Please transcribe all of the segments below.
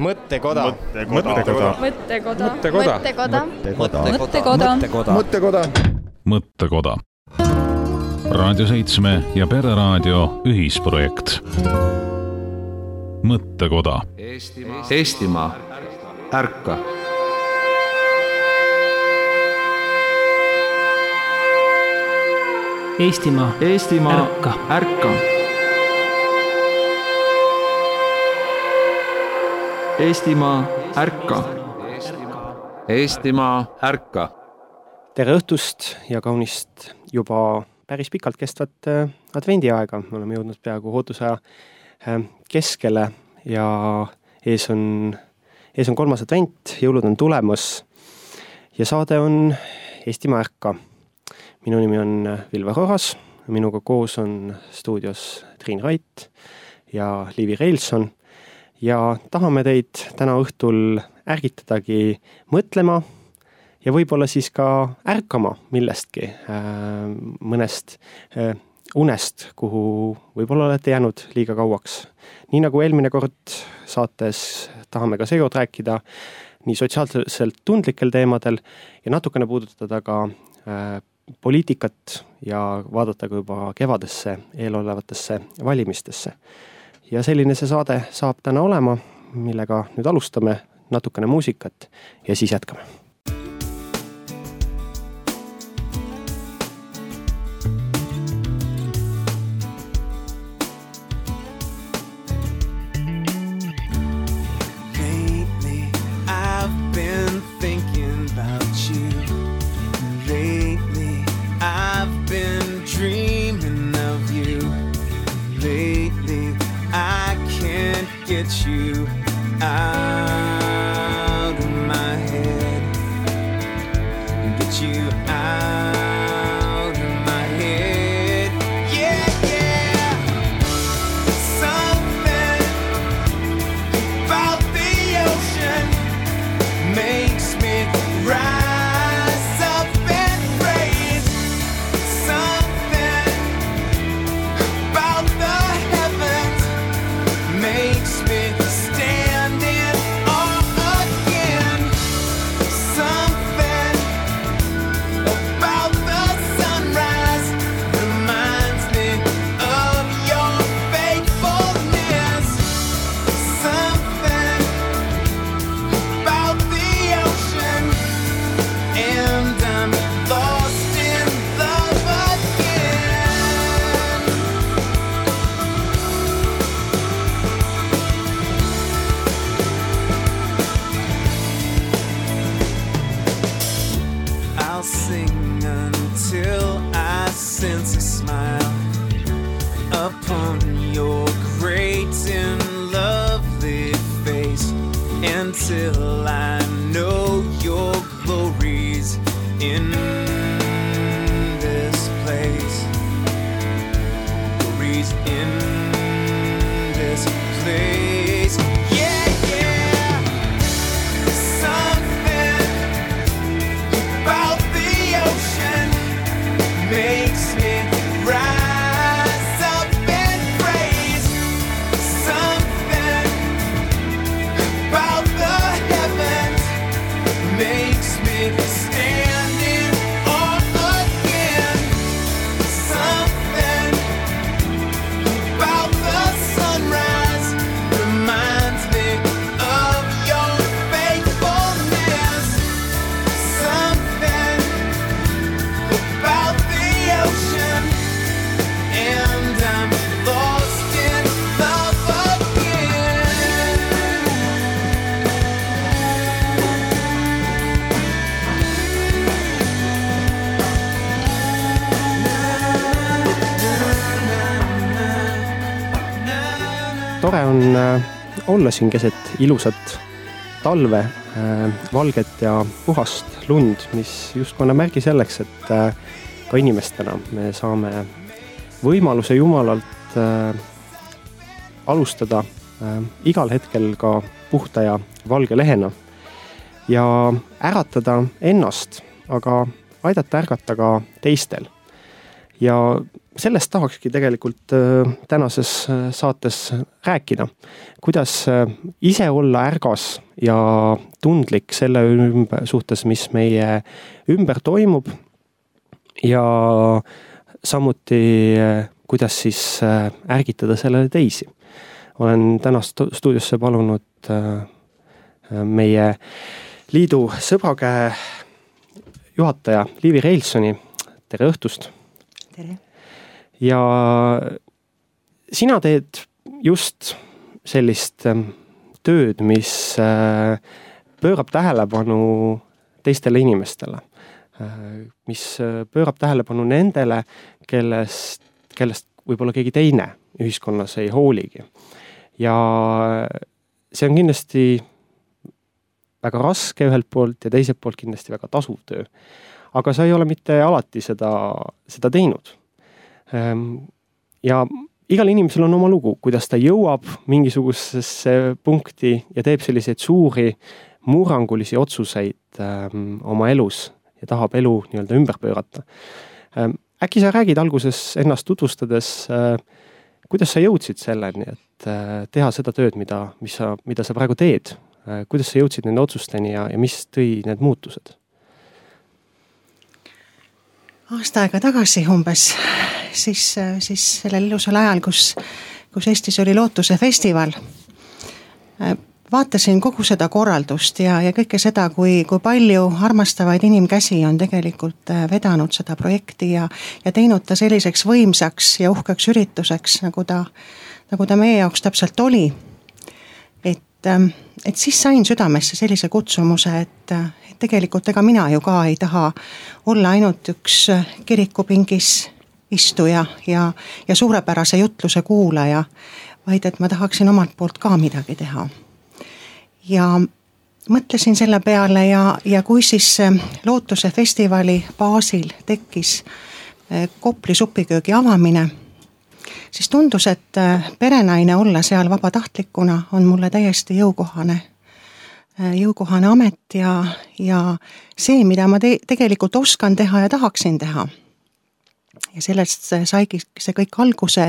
Mõttekoda. Raadio 7 ja Pereraadio ühisprojekt. Mõttekoda. Eestimaa, ärka. Eestimaa, ärka. Eestimaa, ärka. Eestimaa, ärka. Tere õhtust ja kaunist juba päris pikalt kestvat advendiaega. Me oleme jõudnud peaaegu ootusaja keskele ja ees on 3. advent, jõulud on tulemas ja saade on Eestimaa ärka. Minu nimi on Vilver Oras, minuga koos on stuudios Triin Rait ja Liivi Reilson ja tahame teid täna õhtul ärgitadagi mõtlema ja võib-olla siis ka ärkama millestki, mõnest unest, kuhu võib-olla olete jäänud liiga kauaks. Nii nagu eelmine kord saates tahame ka seekord rääkida nii sotsiaalselt tundlikel teemadel ja natukene puudutada ka poliitikat ja vaadata ka juba kevadesse eelolevatesse valimistesse. Ja selline see saade saab täna olema, millega nüüd alustame natukene muusikat ja siis jätkame. Get you out of my head. Get you out of my head. Yeah, yeah. Something about the ocean makes me rise up and praise. Something about the heavens makes me stand in awe again. Something about the sunrise reminds me of your faithfulness. Something about the ocean, and I'm lost in love again. I'll sing until I sense a smile upon your great and lovely face, until I know your glories in this place. Glories in this place. Yeah, yeah. Something about the ocean makes me rise up and praise. Something about the heavens makes me stand in awe again. Something about the sunrise reminds me of your faithfulness. Something about the ocean, and I'm lost in love again. Tore on olla siin keset ilusat talve, valget ja puhast lund, mis justkui annab märgi selleks, et ka inimestena me saame võimaluse Jumalalt alustada igal hetkel ka puhta ja valge lehena ja äratada ennast, aga aidata ärgata ka teistel. ja sellest tahakski tegelikult tänases saates rääkida. Kuidas ise olla ärgas ja tundlik selle suhtes, mis meie ümber toimub ja samuti kuidas siis ärgitada sellele teisi. Olen tänast stuudiosse palunud meie liidu sõbrakäe juhataja Liivi Reilsoni. Tere õhtust! Tere! Ja sina teed just sellist tööd, mis pöörab tähelepanu teistele inimestele, mis pöörab tähelepanu nendele, kellest võib-olla keegi teine ühiskonnas ei hooligi. Ja see on kindlasti väga raske ühelt poolt ja teiselt poolt kindlasti väga tasuv töö. Aga sa ei ole mitte alati seda teinud. Ja igal inimesel on oma lugu, kuidas ta jõuab mingisugusesse punkti ja teeb selliseid suuri murrangulisi otsuseid oma elus ja tahab elu nii-öelda ümber pöörata. Äkki sa räägid alguses ennast tutvustades, kuidas sa jõudsid selleni, et teha seda tööd, mida sa praegu teed? Kuidas sa jõudsid nende otsusteni ja mis tõi need muutused? Aasta aega tagasi umbes, siis sellel ilusal ajal, kus Eestis oli Lootuse festival, vaatasin kogu seda korraldust ja kõike seda, kui palju armastavaid inimkäsi on tegelikult vedanud seda projekti ja teinud ta selliseks võimsaks ja uhkeks ürituseks, nagu ta meie jaoks täpselt oli. Et siis sain südamesse sellise kutsumuse, et tegelikult ega mina ju ka ei taha olla ainult üks kirikupingis istuja ja suurepärase jutluse kuulaja, vaid et ma tahaksin omalt poolt ka midagi teha. Ja mõtlesin selle peale ja kui siis Lootuse festivali baasil tekkis Kopli supiköögi avamine, siis tundus, et perenaine olla seal vabatahtlikuna on mulle täiesti jõukohane amet ja see, mida ma tegelikult oskan teha ja tahaksin teha. Ja sellest saigi see kõik alguse,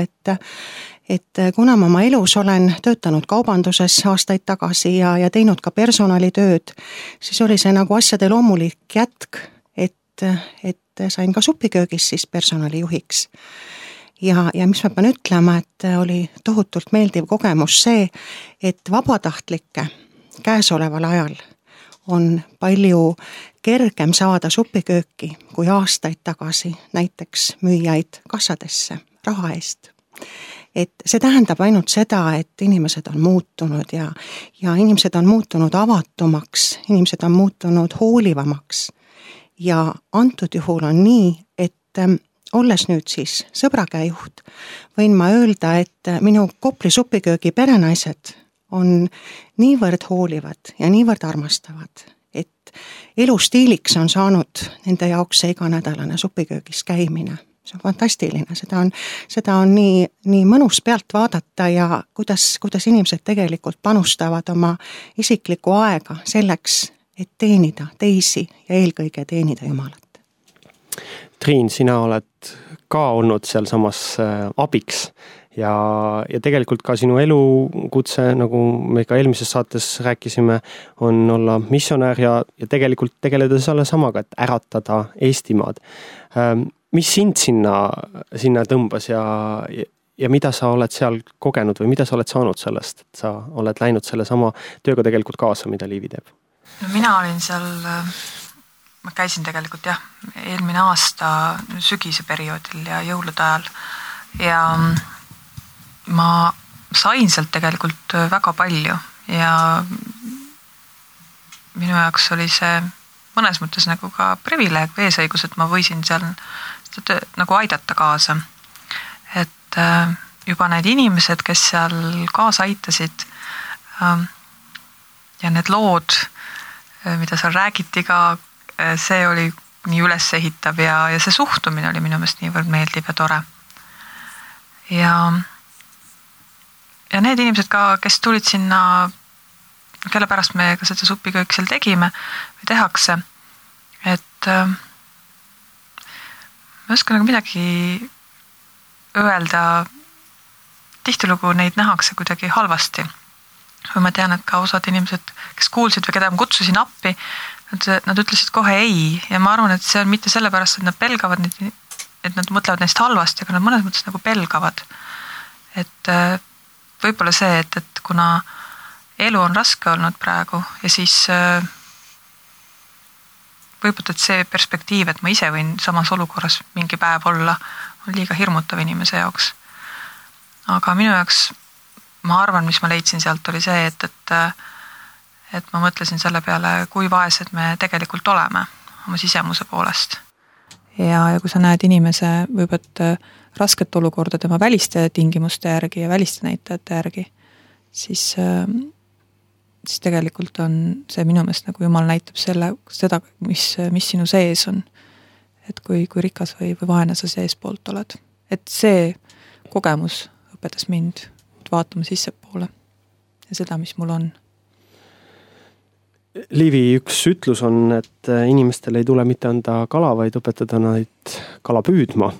et kuna ma oma elus olen töötanud kaubanduses aastaid tagasi ja teinud ka personalitööd, siis oli see nagu asjade loomulik jätk, et sain ka supiköögis siis personalijuhiks. Ja mis ma pean ütlema, et oli tohutult meeldiv kogemus see, et vabatahtlikke käesoleval ajal on palju kergem saada supikööki kui aastaid tagasi näiteks müüjaid kassadesse raha eest. Et see tähendab ainult seda, et inimesed on muutunud ja inimesed on muutunud avatumaks, inimesed on muutunud hoolivamaks. Ja antud juhul on nii, et olles nüüd siis sõbrakäejuht, võin ma öelda, et minu Kopli supiköögi perenaised on niivõrd hoolivad ja niivõrd armastavad, et elustiiliks on saanud nende jaoks see iganädalane supiköögis käimine. See on fantastiline, seda on nii mõnus pealt vaadata ja kuidas inimesed tegelikult panustavad oma isiklikku aega selleks, et teenida teisi ja eelkõige teenida Jumalat. Triin, sina oled ka olnud seal samas abiks ja tegelikult ka sinu elukutse, nagu me ka eelmises saates rääkisime, on olla missionär ja tegelikult tegeleda selle samaga, et äratada Eestimaad. Mis sind sinna tõmbas ja mida sa oled seal kogenud või mida sa oled saanud sellest, et sa oled läinud selle sama tööga tegelikult kaasa, mida Liivi teeb? No mina olin seal, ma käisin tegelikult eelmine aasta sügise perioodil ja jõulude ajal ja ma sain sealt tegelikult väga palju ja minu jaoks oli see mõnes mõttes nagu ka privileeg või eesõigus, et ma võisin seal nagu aidata kaasa. Et juba need inimesed, kes seal kaasa aitasid ja need lood, mida seal räägiti ka, see oli nii üles ehitav ja see suhtumine oli minu meelest niivõrd meeldiv ja tore. Ja need inimesed ka, kes tulid sinna, kelle pärast me ka seda supiköök seal tegime või tehakse, et ma ei oska nagu midagi öelda, tihtilugu neid nähakse kuidagi halvasti. Või ma tean, et ka osad inimesed, kes kuulsid või keda ma kutsusin appi, nad ütlesid kohe ei ja ma arvan, et see on mitte sellepärast, et nad pelgavad, et nad mõtlevad neist halvasti, aga nad mõnes mõttes nagu pelgavad. Et võib-olla see, et kuna elu on raske olnud praegu ja siis võib-olla, et see perspektiiv, et ma ise võin samas olukorras mingi päev olla, on liiga hirmutav inimese jaoks. Aga minu jaoks, ma arvan, mis ma leidsin sealt, oli see, et ma mõtlesin selle peale, kui vaesed me tegelikult oleme oma sisemuse poolest. Ja kui sa näed inimese võib-olla rasket olukorda tema väliste tingimuste järgi ja väliste näitajate järgi, siis tegelikult on see minu meelest nagu Jumal näitab seda, mis sinu sees on. Et kui rikas või vaene sa seespoolt oled. Et see kogemus õpetas mind vaatama sissepoole ja seda, mis mul on. Liivi üks ütlus on, et inimestel ei tule mitte anda kala, vaid õpetada neid kala püüdma.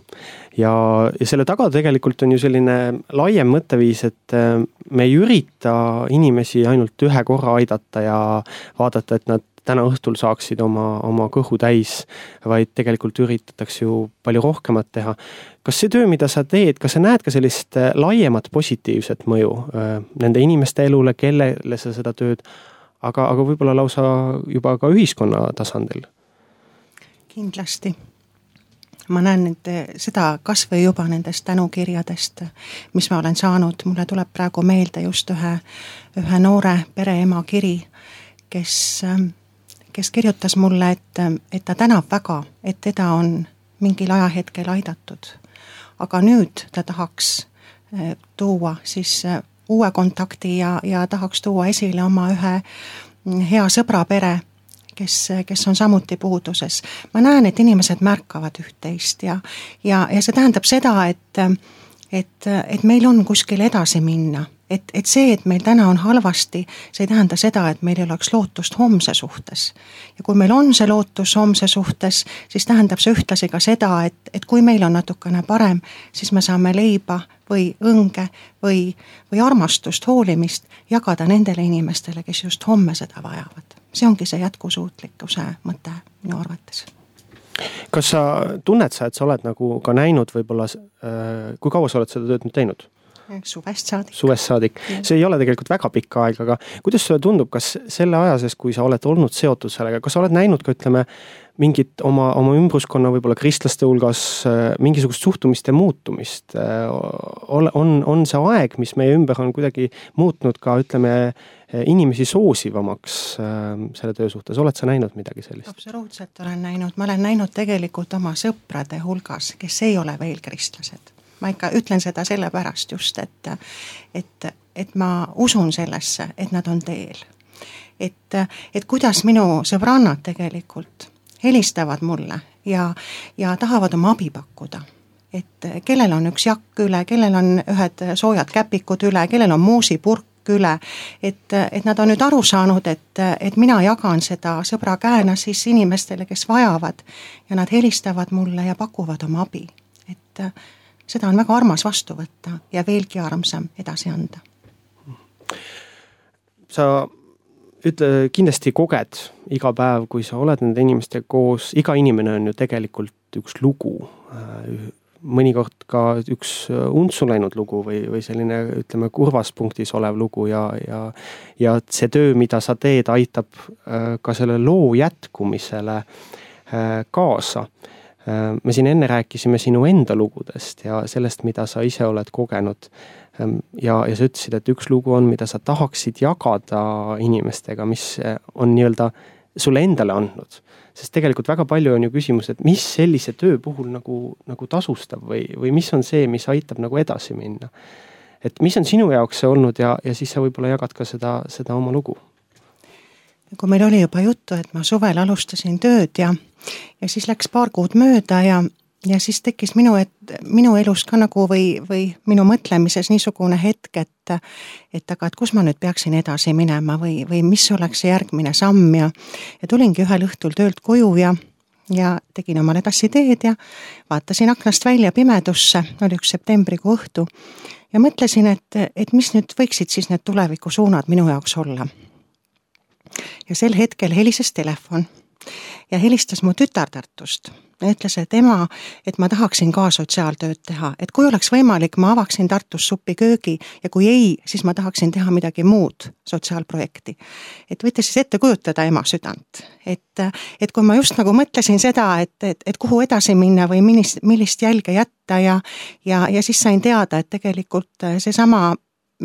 Ja selle taga tegelikult on ju selline laiem mõtteviis, et me ei ürita inimesi ainult ühe korra aidata ja vaadata, et nad täna õhtul saaksid oma kõhu täis, vaid tegelikult üritatakse ju palju rohkemat teha. Kas see töö, mida sa teed, kas sa näed ka sellist laiemat positiivset mõju nende inimeste elule, kellele sa seda tööd, aga võib-olla lausa juba ka ühiskonna tasandil? Kindlasti. Ma näen seda kas või juba nendest tänukirjadest, mis ma olen saanud. Mulle tuleb praegu meelde just ühe noore pereema kiri, kes kirjutas mulle, et ta tänab väga, et teda on mingil ajahetkel aidatud. Aga nüüd ta tahaks tuua siis uue kontakti ja tahaks tuua esile oma ühe hea sõbra pere, kes on samuti puuduses. Ma näen, et inimesed märkavad üht-teist ja see tähendab seda, et meil on kuskil edasi minna. Et see, et meil täna on halvasti, see ei tähenda seda, et meil ei oleks lootust homse suhtes. Ja kui meil on see lootus homse suhtes, siis tähendab see ühtlasi ka seda, et kui meil on natukene parem, siis me saame leiba või õnge või armastust, hoolimist jagada nendele inimestele, kes just homme seda vajavad. See ongi see jätkusuutlikkuse mõte minu arvates. Kas sa tunned sa, et sa oled nagu ka näinud võib-olla, kui kaua sa oled seda tööd nüüd teinud? Suvest saadik. Suvest saadik. See ei ole tegelikult väga pikka aega, aga kuidas sulle tundub, kas selle aja sees, kui sa oled olnud seotud sellega, kas sa oled näinud ka, ütleme, mingit oma ümbruskonna võib-olla kristlaste hulgas mingisugust suhtumiste muutumist? On see aeg, mis meie ümber on kuidagi muutnud ka, ütleme, inimesi soosivamaks selle töö suhtes? Oled sa näinud midagi sellist? Absoluutselt olen näinud. Ma olen näinud tegelikult oma sõprade hulgas, kes ei ole veel kristlased. Ma ikka ütlen seda sellepärast just, et ma usun sellesse, et nad on teel. Et kuidas minu sõbrannad tegelikult helistavad mulle ja tahavad oma abi pakkuda. Et kellel on üks jakk üle, kellel on ühed soojad käpikud üle, kellel on muusipurk üle, et nad on nüüd aru saanud, et mina jagan seda sõbra käena siis inimestele, kes vajavad ja nad helistavad mulle ja pakuvad oma abi. Et seda on väga armas vastu võtta ja veelgi armsam edasi anda. Sa kindlasti koged iga päev, kui sa oled nende inimestega koos, iga inimene on ju tegelikult üks lugu. Mõnikord ka üks untsu läinud lugu või selline, ütleme, kurvas punktis olev lugu ja see töö, mida sa teed, aitab ka selle loo jätkumisele kaasa. Me siin enne rääkisime sinu enda lugudest ja sellest, mida sa ise oled kogenud. Ja sa ütlesid, et üks lugu on, mida sa tahaksid jagada inimestega, mis on nii-öelda sulle endale andnud. Sest tegelikult väga palju on ju küsimus, et mis sellise töö puhul nagu tasustab või mis on see, mis aitab nagu edasi minna. Et mis on sinu jaoks see olnud ja siis sa võib-olla jagad ka seda oma lugu. Kui meil oli juba juttu, et ma suvel alustasin tööd ja siis läks paar kuud mööda ja siis tekkis minu elus ka nagu või minu mõtlemises niisugune hetk, et kus ma nüüd peaksin edasi minema või mis oleks see järgmine samm ja tulingi ühel õhtul töölt koju ja ja tegin omale tassi teed ja vaatasin aknast välja pimedusse, oli üks septembrikuu õhtu ja mõtlesin, et mis nüüd võiksid siis need tulevikusuunad minu jaoks olla. Ja sel hetkel helises telefon ja helistas mu tütar Tartust ja ütles, et ema, et ma tahaksin ka sotsiaaltööd teha, et kui oleks võimalik, ma avaksin Tartus supiköögi ja kui ei, siis ma tahaksin teha midagi muud sotsiaalprojekti. Et võite siis ette kujutada ema südant, et kui ma just nagu mõtlesin seda, et kuhu edasi minna või millist jälge jätta ja siis sain teada, et tegelikult seesama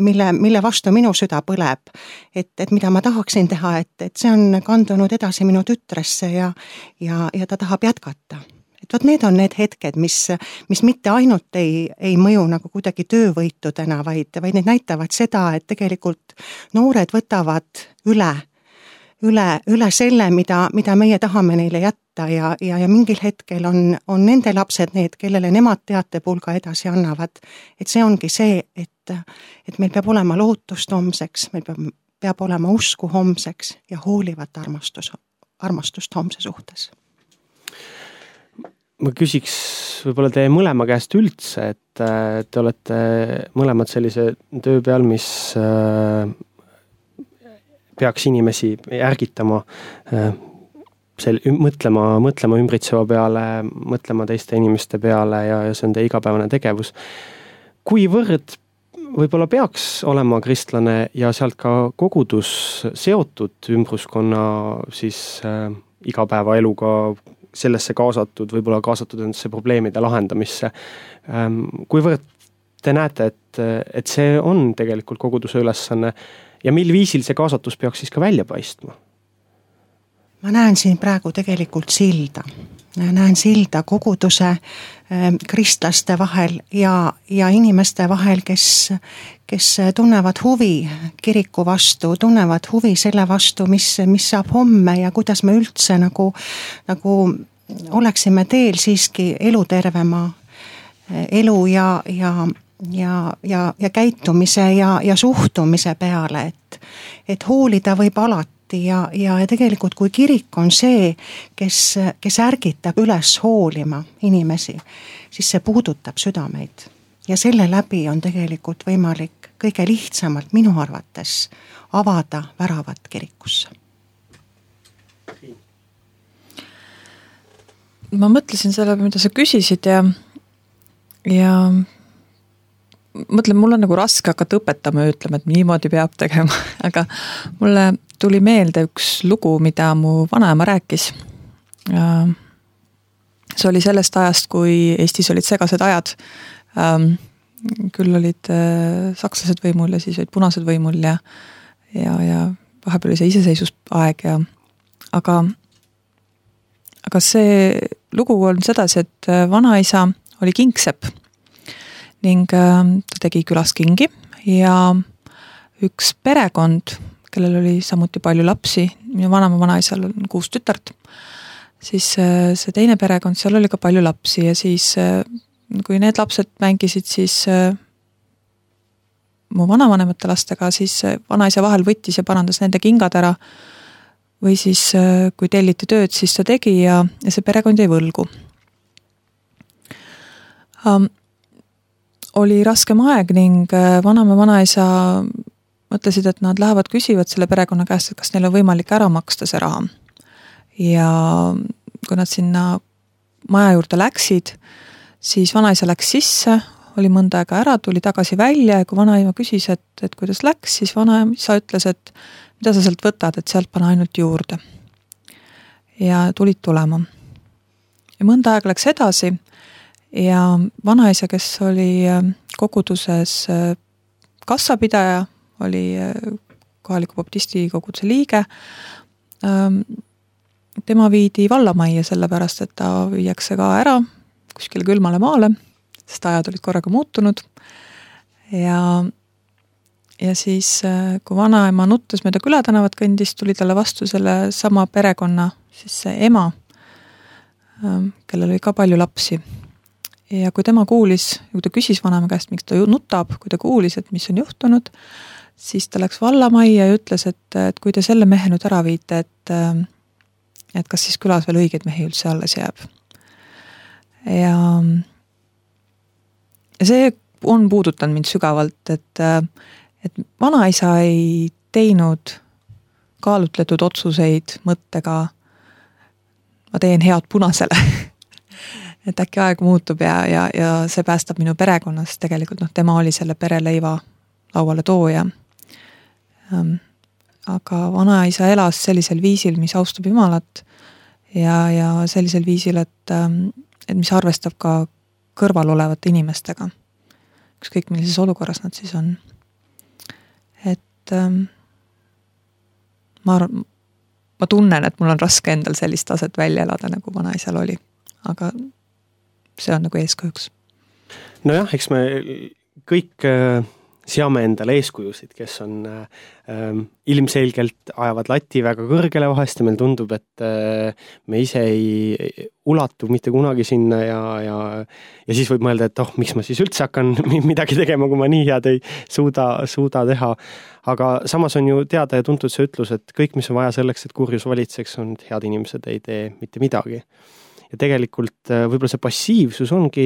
mille vastu minu süda põleb, et mida ma tahaksin teha, et see on kandunud edasi minu tütresse ja ta tahab jätkata. Et võt need on need hetked, mis mitte ainult ei mõju nagu kuidagi töövõitudena, vaid need näitavad seda, et tegelikult noored võtavad üle selle, mida meie tahame neile jätta ja mingil hetkel on nende lapsed need, kellele nemad teatepulga edasi annavad. Et see ongi see, et meil peab olema lootust homseks, meil peab olema usku homseks ja hoolivat armastust homse suhtes. Ma küsiks võib-olla teie mõlema käest üldse, et te olete mõlemad sellise töö peal, mis peaks inimesi ärgitama mõtlema ümbritseva peale, mõtlema teiste inimeste peale ja see on teie igapäevane tegevus. Kuivõrd võib-olla peaks olema kristlane ja sealt ka kogudus seotud ümbruskonna siis igapäevaeluga sellesse kaasatud, võib-olla kaasatud endasse probleemide lahendamisse. Kuivõrd te näete, et see on tegelikult koguduse ülesanne ja mil viisil see kaasatus peaks siis ka välja paistma? Ma näen siin praegu tegelikult silda. Näen silda koguduse kristlaste vahel ja inimeste vahel, kes tunnevad huvi kiriku vastu, tunnevad huvi selle vastu, mis saab homme ja kuidas me üldse nagu oleksime teel siiski elutervema elu ja käitumise ja suhtumise peale, et hoolida võib alati ja tegelikult kui kirik on see, kes ärgitab üles hoolima inimesi, siis see puudutab südameid ja selle läbi on tegelikult võimalik kõige lihtsamalt minu arvates avada väravat kirikusse. Ma mõtlesin selle, mida sa küsisid ja mõtlen, mul on nagu raske hakata õpetama ja ütlema, et niimoodi peab tegema, aga mulle tuli meelde üks lugu, mida mu vanaema rääkis. See oli sellest ajast, kui Eestis olid segased ajad. Küll olid sakslased võimul ja siis olid punased võimul ja vahepeal oli see iseseisvusaeg aga see lugu on sedasi, et vanaisa oli kingsepp ning ta tegi külas kingi ja üks perekond, kellel oli samuti palju lapsi, minu vanaisal on 6 tütart, siis see teine perekond, seal oli ka palju lapsi ja siis kui need lapsed mängisid siis mu vanavanemate lastega, siis vanaisa vahel võttis ja parandas nende kingad ära või siis kui telliti tööd, siis ta tegi ja see perekond jäi võlgu. Oli raskem aeg ning vanaisa mõtlesid, et nad lähevad küsivad selle perekonna käest, et kas neil on võimalik ära maksta see raha. Ja kui nad sinna maja juurde läksid, siis vanaisa läks sisse, oli mõnda aega ära, tuli tagasi välja ja kui vanaima küsis, et kuidas läks, siis vanaisa ütles, et mida sa sealt võtad, et sealt pane ainult juurde. Ja tulid tulema. Ja mõnda aega läks edasi ja vanaisa, kes oli koguduses kassapidaja, oli kohaliku baptisti koguduse liige. Tema viidi vallamajja sellepärast, et ta viiakse ka ära kuskile külmale maale, sest ajad olid korraga muutunud. Ja siis, kui vanaema nuttes mööda külätänavat kõndis, tuli talle vastu selle sama perekonna, siis see ema, kellel oli ka palju lapsi. Ja kui tema kuulis, kui ta küsis vanaema käest, miks ta nutab, kui ta kuulis, et mis on juhtunud, siis ta läks vallamajja ja ütles, et kui te selle mehe nüüd ära viite, et kas siis külas veel õigeid mehi üldse alles jääb. Ja see on puudutanud mind sügavalt, et vanaisa ei teinud kaalutletud otsuseid mõttega, ma teen head punasele. Et äkki aeg muutub ja see päästab minu perekonnas tegelikult, tema oli selle pereleiva lauale tooja. Aga vanaisa elas sellisel viisil, mis austab Jumalat ja sellisel viisil, et mis arvestab ka kõrval olevate inimestega. Ükskõik millises olukorras nad siis on. Et ma tunnen, et mul on raske endal sellist taset välja elada, nagu vanaisal oli. Aga see on nagu eeskujuks. Nojah, eks me kõik seame endale eeskujusid, kes on ilmselgelt ajavad lati väga kõrgele vahest ja meil tundub, et me ise ei ulatu mitte kunagi sinna ja siis võib mõelda, et miks ma siis üldse hakkan midagi tegema, kui ma nii head ei suuda teha. Aga samas on ju teada ja tuntud see ütlus, et kõik, mis on vaja selleks, et kurjus valitseks, on, et head inimesed ei tee mitte midagi. Ja tegelikult võib-olla see passiivsus ongi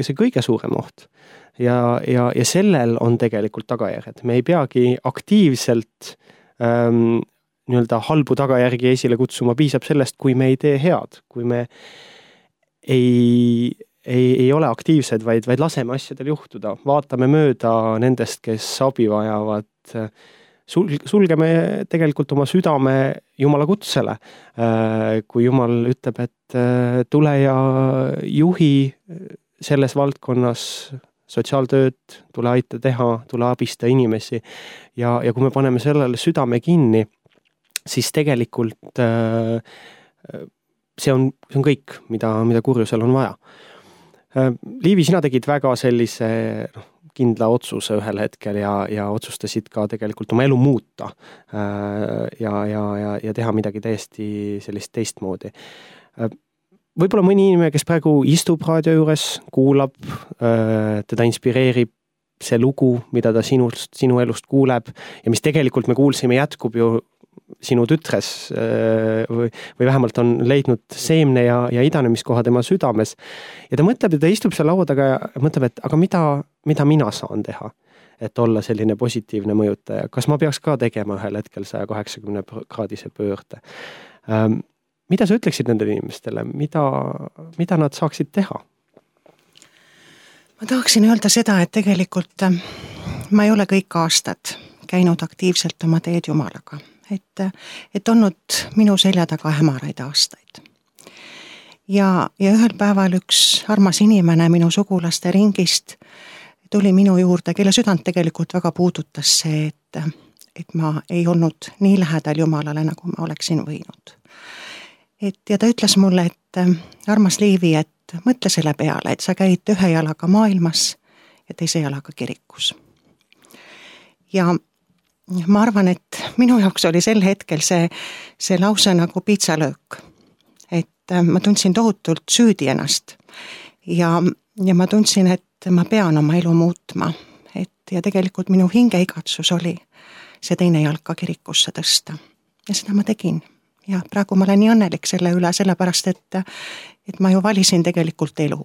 see kõige suurem oht. Ja sellel on tegelikult tagajärjed. Me ei peagi aktiivselt nii-öelda halbu tagajärgi esile kutsuma, piisab sellest, kui me ei tee head, kui me ei ole aktiivsed, vaid laseme asjadel juhtuda. Vaatame mööda nendest, kes abi vajavad. Sulgeme tegelikult oma südame Jumala kutsele. Kui Jumal ütleb, et tule ja juhi selles valdkonnas sotsiaaltööd, tule aita teha, tule abista inimesi. Ja kui me paneme sellele südame kinni, siis tegelikult see on kõik, mida kurjusel on vaja. Liivi, sina tegid väga sellise kindla otsuse ühel hetkel ja otsustasid ka tegelikult oma elu muuta ja teha midagi täiesti sellist teistmoodi. Võib-olla mõni inimene, kes praegu istub raadio juures, kuulab, teda inspireerib see lugu, mida ta sinu elust kuuleb ja mis tegelikult me kuulsime jätkub ju sinu tütres või vähemalt on leidnud seemne ja idanemiskoha tema südames. Ja ta mõtleb, et ta istub seal laua taga ja mõtleb, et aga mida mina saan teha, et olla selline positiivne mõjutaja. Kas ma peaks ka tegema ühel hetkel 180-kraadise pöörde? Mida sa ütleksid nendele inimestele? Mida nad saaksid teha? Ma tahaksin öelda seda, et tegelikult ma ei ole kõik aastad käinud aktiivselt oma teed Jumalaga. Et olnud minu selja taga hämaraid aastaid. Ja ühel päeval üks armas inimene minu sugulaste ringist tuli minu juurde, kelle südant tegelikult väga puudutas see, et ma ei olnud nii lähedal Jumalale, nagu ma oleksin võinud. Ja ta ütles mulle, et armas Liivi, et mõtle selle peale, et sa käid ühe jalaga maailmas ja teise jalaga kirikus. Ja ma arvan, et minu jaoks oli sel hetkel see lause nagu piitsalöök. Et ma tundsin tohutult süüdi ennast ja ma tundsin, et ma pean oma elu muutma. Ja tegelikult minu hingeigatsus oli see teine jalka kirikusse tõsta. Ja seda ma tegin. Ja praegu ma olen nii õnnelik selle üle, sellepärast, et ma ju valisin tegelikult elu.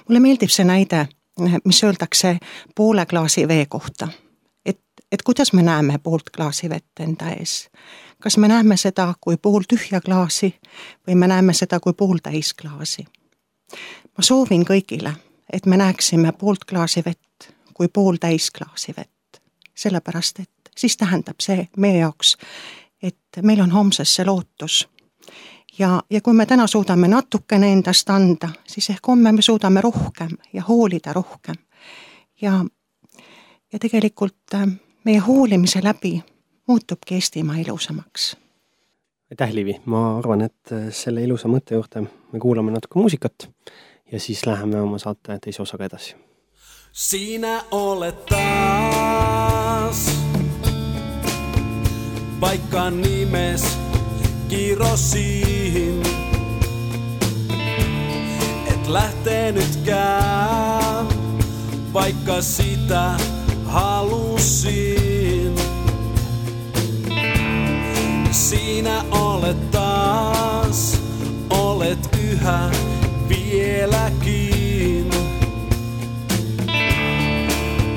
Mulle meeldib see näide, mis öeldakse poole klaasi vee kohta. Et kuidas me näeme poolt klaasi vett enda ees? Kas me näeme seda kui pool tühja klaasi või me näeme seda kui pool täis klaasi? Ma soovin kõigile, et me näeksime poolt klaasi vett kui pool täis klaasi vett. Sellepärast, et siis tähendab see meie jaoks, et meil on homsesse lootus. Ja kui me täna suudame natukene endast anda, siis ehk homme me suudame rohkem ja hoolida rohkem. Ja tegelikult meie hoolimise läbi muutubki Eestimaa ilusamaks. Aitäh, Liivi! Ma arvan, et selle ilusa mõtte juurde me kuulame natuke muusikat ja siis läheme oma saate teise osaga edasi. Sinä olet taas paikka nimes kirosiin. Et lähtenytkään, vaikka sitä halusin. Sinä olet olet taas, olet yhä vieläkin.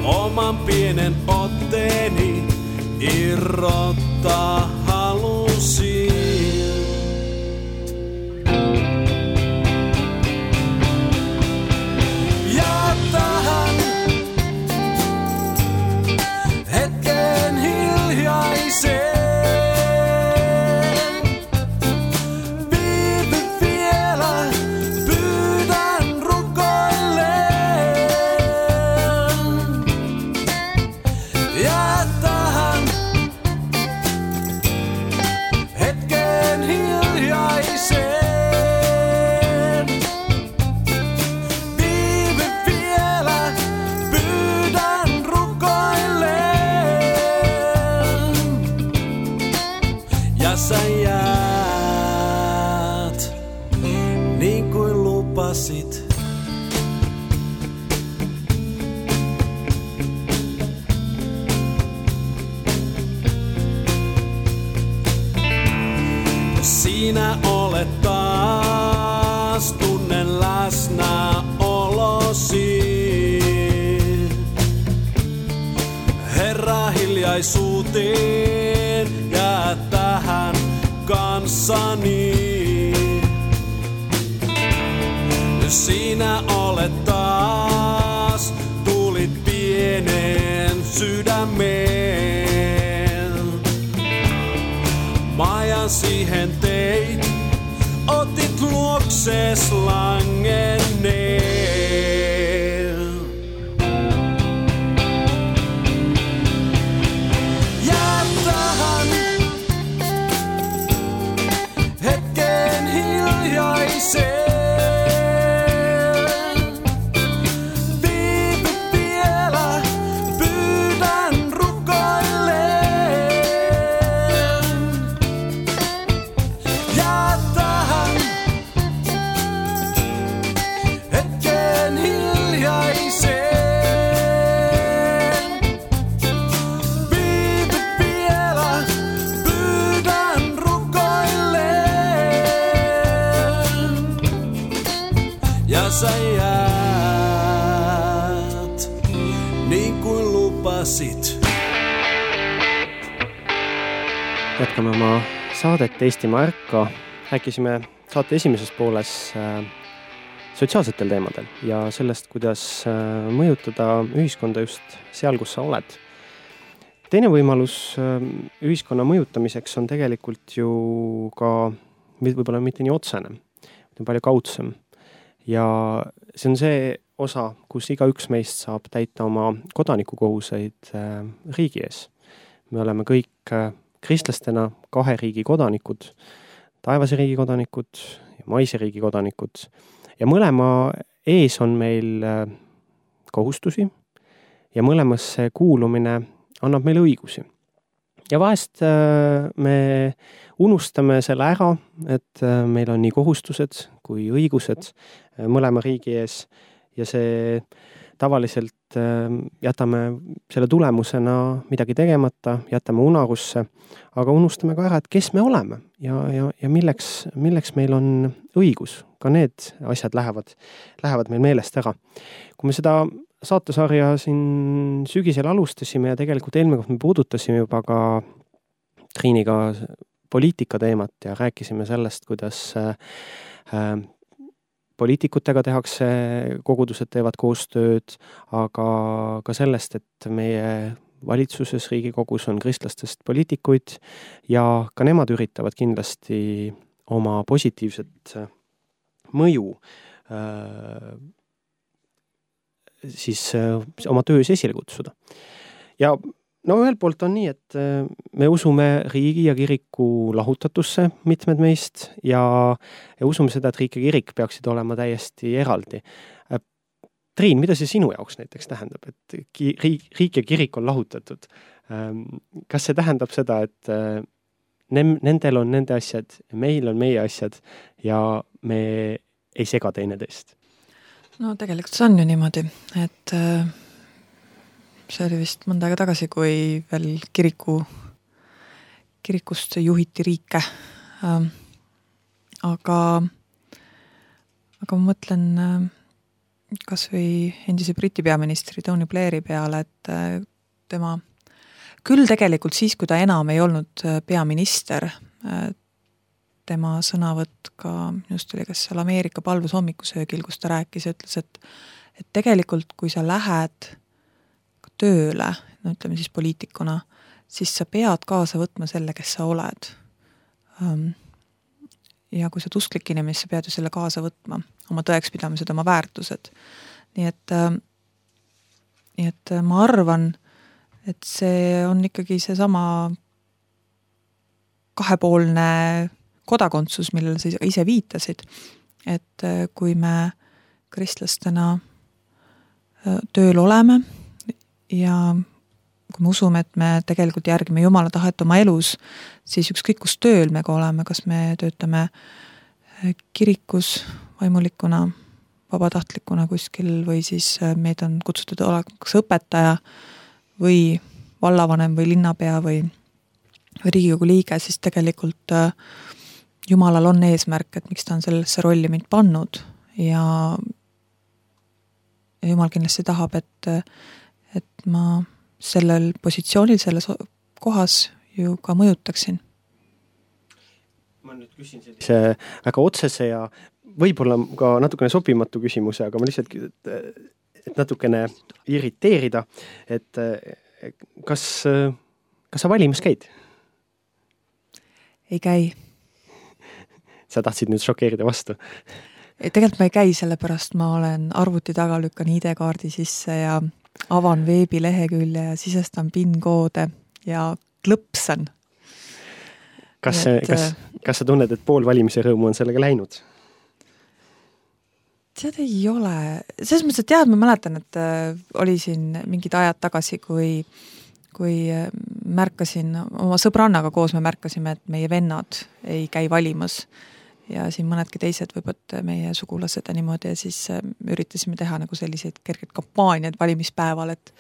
Oman pienen otteeni irrottaa halusin. Ja tähän hetken hiljaiseen viivy vielä, pyydän rukoilleen. Ja tähän hetken hiljaiseen viivy vielä, pyydän rukoilleen. Ja sä jäät niin kuin lupasit. Sinä olet taas, tunnen läsnäolosi. Herra, hiljaisuuteen jää tähän kanssani. Sinä olet taas, tulit pieneen sydämeen. Majan siihen teit, otit luoksees langenneen. Ja tähän hetken hiljaiseen viivy vielä, pyydän rukoilleen. Ja tähän hetken hiljaiseen viivy vielä, pyydän rukoilleen. Ja sä jäät niin kuin lupasit. Jätkame oma saadet Eestimaa Ärka. Rääkisime saate esimeses pooles sotsiaalsetel teemadel ja sellest, kuidas mõjutada ühiskonda just seal, kus sa oled. Teine võimalus ühiskonna mõjutamiseks on tegelikult ju ka võib-olla mitte nii otsene, on palju kaudsem. Ja see on see osa, kus igaüks meist saab täita oma kodanikukohuseid riigi ees. Me oleme kõik kristlastena 2 riigi kodanikud, taevase riigi kodanikud ja maise riigi kodanikud. Ja mõlema ees on meil kohustusi ja mõlemasse kuulumine annab meile õigusi. Ja vahest me unustame selle ära, et meil on nii kohustused kui õigused mõlema riigi ees ja see tavaliselt jätame selle tulemusena midagi tegemata, jätame unarusse, aga unustame ka ära, et kes me oleme ja milleks meil on õigus. Ka need asjad lähevad meil meelest ära. Kui me seda saatesarja siin sügisel alustasime ja tegelikult eelmine kord me puudutasime juba ka Triiniga poliitika teemat ja rääkisime sellest, kuidas poliitikutega tehakse, kogudused teevad koostööd, aga ka sellest, et meie valitsuses, Riigikogus on kristlastest poliitikuid ja ka nemad üritavad kindlasti oma positiivset mõju siis oma töös esile kutsuda. Ja no ühelt poolt on nii, et me usume riigi ja kiriku lahutatusse mitmed meist ja usume seda, et riik ja kirik peaksid olema täiesti eraldi. Triin, mida see sinu jaoks näiteks tähendab, et riik ja kirik on lahutatud? Kas see tähendab seda, et nendel on nende asjad, meil on meie asjad ja me ei sega teineteist? No tegelikult see on ju niimoodi, et see oli vist mõnda aega tagasi, kui veel kirikust juhiti riike, Aga ma mõtlen kas või endise Briti peaministri Tony Blairi peale, et tema küll tegelikult siis, kui ta enam ei olnud peaminister, tema sõnavõtt ka, just oli kas seal Ameerika palvus hommikusöögil, kus ta rääkis ja ütles, et tegelikult kui sa lähed tööle, no ütleme siis poliitikuna, siis sa pead kaasa võtma selle, kes sa oled. Ja kui sa oled usklik inimene, sa pead ju selle kaasa võtma, oma tõekspidamised, oma väärtused. Nii et ma arvan, et see on ikkagi see sama kahepoolne kodakondsus, millele sa ise viitasid, et kui me kristlastena tööl oleme ja kui me usume, et me tegelikult järgime Jumala tahet oma elus, siis ükskõik kus tööl me ka oleme, kas me töötame kirikus vaimulikuna, vabatahtlikuna kuskil või siis meid on kutsutud oleks õpetaja või vallavanem või linnapea või Riigikogu liige, siis tegelikult Jumalal on eesmärk, et miks ta on sellesse rolli mind pannud ja Jumal kindlasti tahab, et ma sellel positsioonil, selles kohas ju ka mõjutaksin. Ma nüüd küsin sellise väga otsese ja võib-olla ka natukene sobimatu küsimuse, aga ma lihtsalt, et natukene irriteerida, et kas sa valimas käid? Ei käi. Sa tahtsid nüüd šokeerida vastu? Tegelikult ma ei käi, sellepärast ma olen arvuti taga, lükkan ID-kaardi sisse ja avan veebilehekülje ja sisestan PIN-koode ja klõpsan. Kas sa tunned, et pool valimise rõõmu on sellega läinud? Tead ei ole. Selles mõttes, et ma mäletan, et oli siin mingid ajad tagasi, kui märkasin, oma sõbrannaga koos me märkasime, et meie vennad ei käi valimas ja siin mõnedki teised võivad meie sugulased ja niimoodi ja siis üritasime teha nagu selliseid kerged kampaaniad valimispäeval, et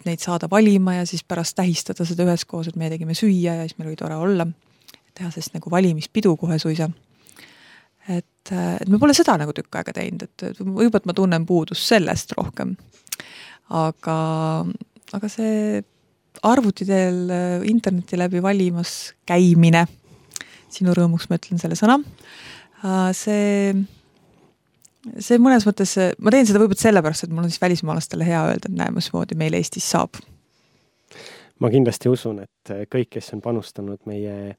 neid saada valima ja siis pärast tähistada seda üheskoos, et me tegime süüa ja siis meil oli tore olla, teha sest nagu valimispidu kohe suisa. Et me pole seda nagu tükk aega teinud, et võib-olla ma tunnen puudust sellest rohkem. Aga see arvuti teel interneti läbi valimas käimine, sinu rõõmuks ma ütlen selle sõna, see mõnes mõttes, ma teen seda võib-olla sellepärast, et mul on siis välismaalastele hea öelda, et näe, mismoodi meil Eestis saab. Ma kindlasti usun, et kõik, kes on panustanud meie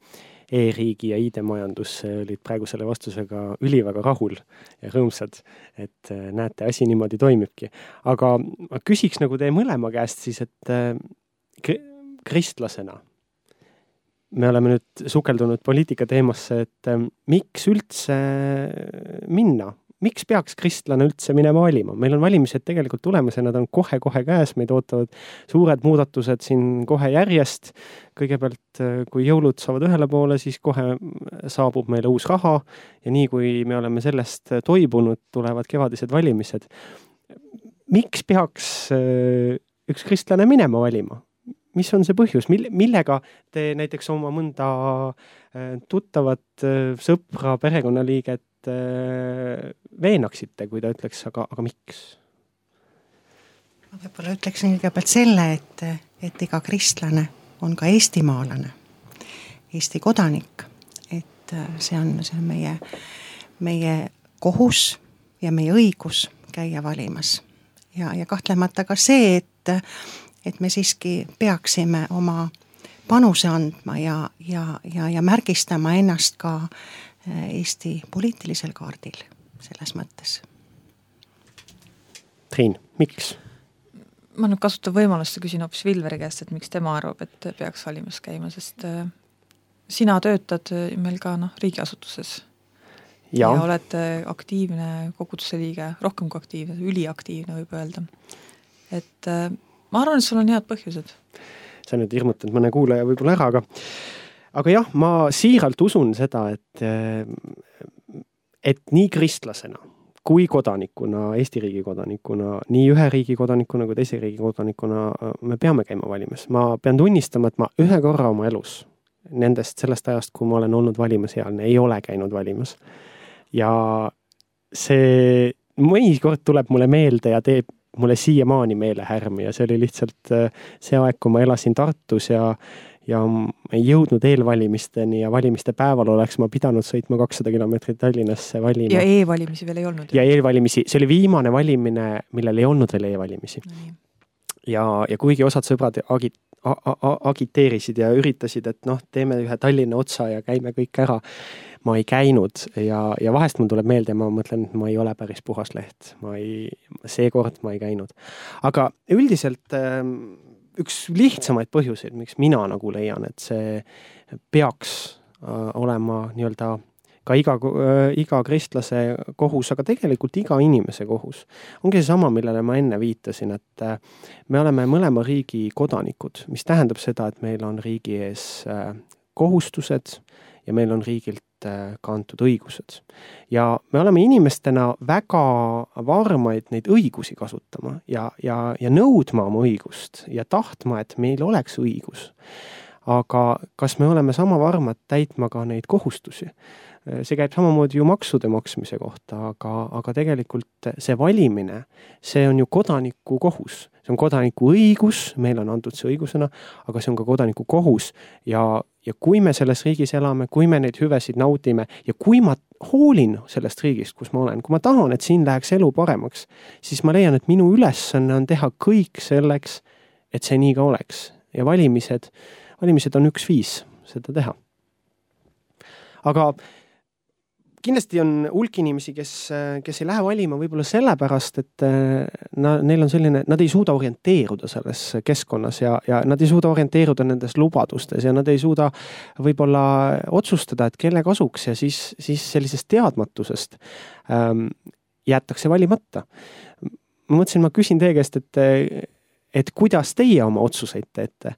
e-riigi ja ID-majandusse, olid praegu selle vastusega üliväga rahul ja rõõmsad, et näete, asi niimoodi toimibki. Aga ma küsiks nagu teie mõlema käest siis, et kristlasena me oleme nüüd sukeldunud poliitika teemasse, et miks üldse minna? Miks peaks kristlane üldse minema valima? Meil on valimised tegelikult tulemas ja nad on kohe-kohe käes, meid ootavad suured muudatused siin kohe järjest. Kõigepealt, kui jõulud saavad ühele poole, siis kohe saabub meile uus raha ja nii kui me oleme sellest toibunud, tulevad kevadised valimised. Miks peaks üks kristlane minema valima? Mis on see põhjus? Millega te näiteks oma mõnda tuttavat sõpra, perekonnaliiget veenaksite, kui ta ütleks, aga miks? Ma võib-olla ütleksin kõigepealt selle, et iga kristlane on ka eestimaalane, Eesti kodanik, et see on meie kohus ja meie õigus käia valimas. Ja kahtlemata ka see, et me siiski peaksime oma panuse andma ja märgistama ennast ka Eesti poliitilisel kaardil selles mõttes. Triin, miks? Ma nüüd kasutan võimalust ja küsin hoopis Vilveri käest, et miks tema arvab, et peaks valimas käima, sest sina töötad meil ka riigiasutuses ja oled aktiivne koguduse liige, rohkem kui aktiivne, üliaktiivne võib öelda. Et ma arvan, et sul on head põhjused. Sa nüüd hirmutanud mõne kuulaja võib-olla ära, aga jah, ma siiralt usun seda, et nii kristlasena kui kodanikuna, Eesti riigi kodanikuna, nii ühe riigi kodanikuna kui teise riigi kodanikuna me peame käima valimas. Ma pean tunnistama, et ma ühe korra oma elus sellest ajast, kui ma olen olnud valimasealne, ei ole käinud valimas. Ja see mõnikord tuleb mulle meelde ja teeb mulle siiamaani meelehärmi ja see oli lihtsalt see aeg, kui ma elasin Tartus ja ei jõudnud eelvalimisteni ja valimiste päeval oleks ma pidanud sõitma 200 kilomeetrit Tallinnasse valima. Ja e-valimisi veel ei olnud. Ja e-valimisi, see oli viimane valimine, millel ei olnud veel e-valimisi. Ja kuigi osad sõbrad agiteerisid ja üritasid, et teeme ühe Tallinna otsa ja käime kõik ära, ma ei käinud ja vahest mul tuleb meelde ja ma mõtlen, et ma ei ole päris puhas leht. Seekord ma ei käinud. Aga üldiselt üks lihtsamaid põhjuseid, miks mina nagu leian, et see peaks olema nii-öelda ka iga kristlase kohus, aga tegelikult iga inimese kohus. Ongi see sama, millele ma enne viitasin, et me oleme mõlema riigi kodanikud, mis tähendab seda, et meil on riigi ees kohustused ja meil on riigilt kantud õigused. Ja me oleme inimestena väga varmaid neid õigusi kasutama ja nõudma oma õigust ja tahtma, et meil oleks õigus. Aga kas me oleme sama varmad täitma ka neid kohustusi? See käib samamoodi ju maksude maksmise kohta, aga tegelikult see valimine, see on ju kodaniku kohus. See on kodaniku õigus, meil on antud see õigusena, aga see on ka kodaniku kohus. Ja kui me selles riigis elame, kui me neid hüvesid naudime ja kui ma hoolin sellest riigist, kus ma olen, kui ma tahan, et siin läheks elu paremaks, siis ma leian, et minu ülesanne on teha kõik selleks, et see nii ka oleks. Ja valimised on üks viis seda teha. Aga kindlasti on hulk inimesi, kes ei lähe valima võib-olla sellepärast, et neil on selline, nad ei suuda orienteeruda selles keskkonnas ja nad ei suuda orienteeruda nendes lubadustes ja nad ei suuda võib-olla otsustada, et kelle kasuks ja siis sellisest teadmatusest jäetakse valimata. Ma mõtlesin, ma küsin teie käest, et kuidas teie oma otsuseid teete,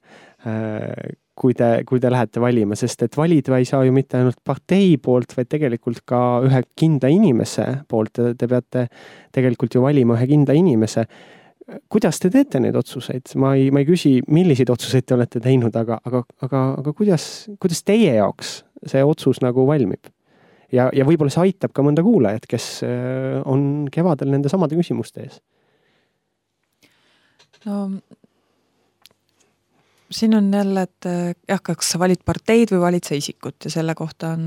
kui te lähete valima, sest et valida ei saa ju mitte ainult partei poolt, vaid tegelikult ka ühe kindla inimese poolt. Te peate tegelikult ju valima ühe kindla inimese. Kuidas te teete neid otsuseid? Ma ei küsi, milliseid otsuseid te olete teinud, aga kuidas teie jaoks see otsus nagu valmib? Ja võib-olla see aitab ka mõnda kuulajat, kes on kevadel nende samade küsimuste ees. No siin on jälle, et kas sa valid parteid või valid sa isikut ja selle kohta on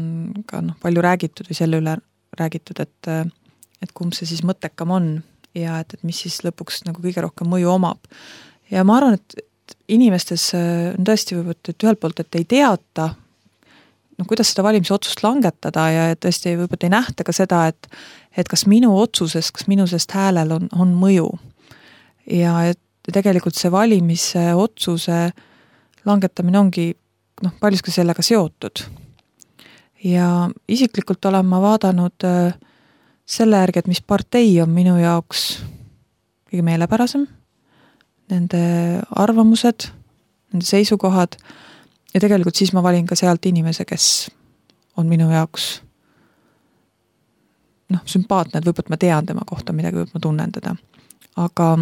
ka palju räägitud või selle üle räägitud, et kumb see siis mõttekam on ja et mis siis lõpuks nagu kõige rohkem mõju omab. Ja ma arvan, et inimestes on tõesti võib-olla, et ühelt poolt, et ei teata, kuidas seda valimisotsust langetada ja tõesti võib-olla ei nähta ka seda, et kas minu otsusest, kas minu sest häälel on mõju. Ja et tegelikult see valimise otsuse langetamine ongi paljuski sellega seotud. Ja isiklikult olen ma vaadanud selle järgi, et mis partei on minu jaoks kõige meelepärasem, nende arvamused, nende seisukohad ja tegelikult siis ma valin ka sealt inimese, kes on minu jaoks sümpaatne, et võib-olla ma tean tema kohta midagi, võib ma tunnen teda. Aga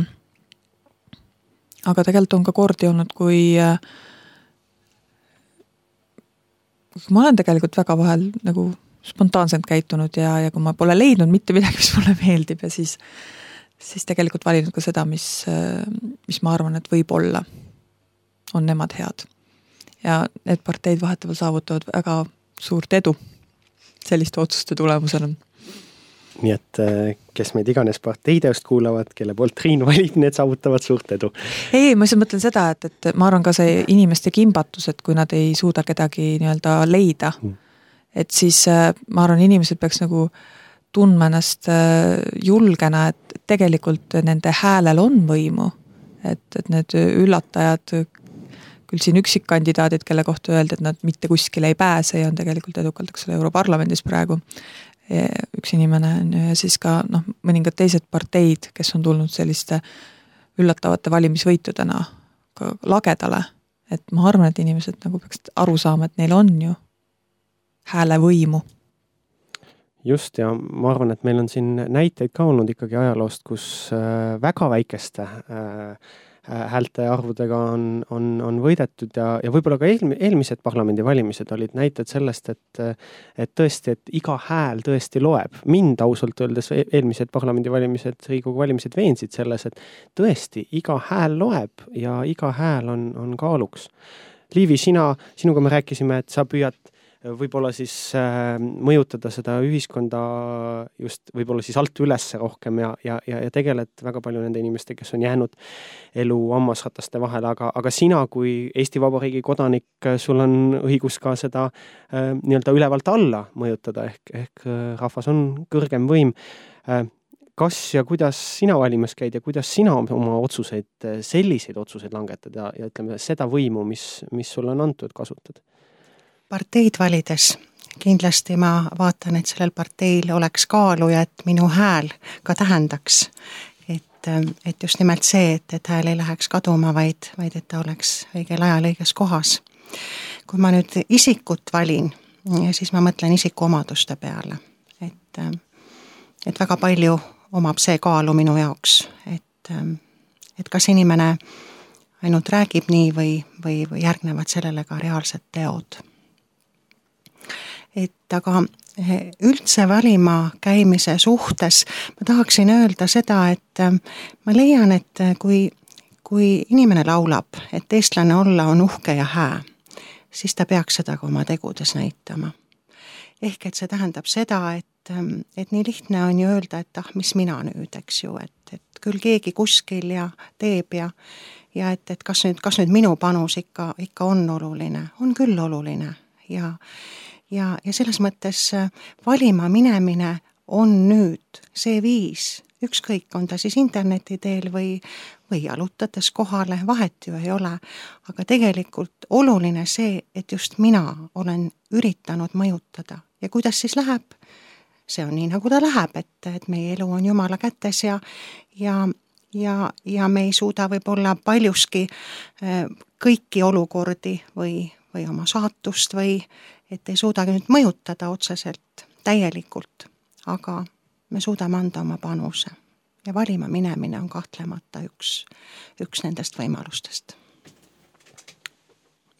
tegelikult on ka kordi olnud, kui ma olen tegelikult väga vahel nagu spontaanselt käitunud ja kui ma pole leidnud mitte midagi, mis mulle meeldib ja siis tegelikult valinud ka seda, mis ma arvan, et võib-olla on nemad head. Ja need parteid vahetavalt saavutavad väga suurt edu selliste otsuste tulemusena. Nii et kes meid iganes parteideost kuulavad, kelle poolt Triin valib, need saavutavad suurt edu. Ei, ma mõtlen seda, et ma arvan ka see inimeste kimbatus, et kui nad ei suuda kedagi nii-öelda leida, et siis ma arvan, inimesed peaks nagu tundma ennast julgena, et tegelikult nende häälel on võimu, et need üllatajad, küll siin üksikkandidaadid, kelle kohta öeldi, et nad mitte kuskile ei pääse ja on tegelikult edukalt, eks ole, Europarlamendis praegu üks inimene ja siis ka mõningad teised parteid, kes on tulnud selliste üllatavate valimisvõitudena ka lagedale, et ma arvan, et inimesed nagu peaks aru saama, et neil on ju hääle võimu. Just ja ma arvan, et meil on siin näiteid ka olnud ikkagi ajaloost, kus väga väikeste häälte arvudega on võidetud ja võib-olla ka eelmised parlamendivalimised olid näited sellest, et tõesti, et iga hääl tõesti loeb. Mind ausalt öeldes eelmised parlamendivalimised, Riigikogu valimised veensid selles, et tõesti iga hääl loeb ja iga hääl on kaaluks. Liivi, sinuga me rääkisime, et sa püüad võib-olla siis mõjutada seda ühiskonda just võib-olla siis alt üles rohkem ja tegeled väga palju nende inimeste, kes on jäänud elu hammasrataste vahele, aga sina kui Eesti Vabariigi kodanik, sul on õigus ka seda nii-öelda ülevalt alla mõjutada, ehk rahvas on kõrgem võim. Kas ja kuidas sina valimas käid ja kuidas sina oma otsuseid, selliseid otsuseid langetad ja ütleme seda võimu, mis sulle on antud, kasutad? Parteid valides kindlasti ma vaatan, et sellel parteil oleks kaalu ja et minu hääl ka tähendaks. Et just nimelt see, et hääl ei läheks kaduma, vaid et ta oleks õigel ajal õiges kohas. Kui ma nüüd isikut valin, siis ma mõtlen isiku omaduste peale. Et väga palju omab see kaalu minu jaoks, et kas inimene ainult räägib nii või järgnevad sellele ka reaalsed teod. Aga üldse valima käimise suhtes ma tahaksin öelda seda, et ma leian, et kui inimene laulab, et eestlane olla on uhke ja hää, siis ta peaks seda ka oma tegudes näitama. Ehk et see tähendab seda, et nii lihtne on ju öelda, et mis mina nüüd, eks ju, et küll keegi kuskil ja teeb ja et kas nüüd minu panus ikka on oluline, on küll oluline ja selles mõttes valima minemine on nüüd see viis, ükskõik on ta siis interneti teel või jalutades kohale, vahet ju ei ole, aga tegelikult oluline see, et just mina olen üritanud mõjutada ja kuidas siis läheb, see on nii nagu ta läheb, et meie elu on Jumala kätes ja me ei suuda võib-olla paljuski kõiki olukordi või oma saatust või et ei suudagi nüüd mõjutada otseselt täielikult, aga me suudame anda oma panuse ja valima minemine on kahtlemata üks nendest võimalustest.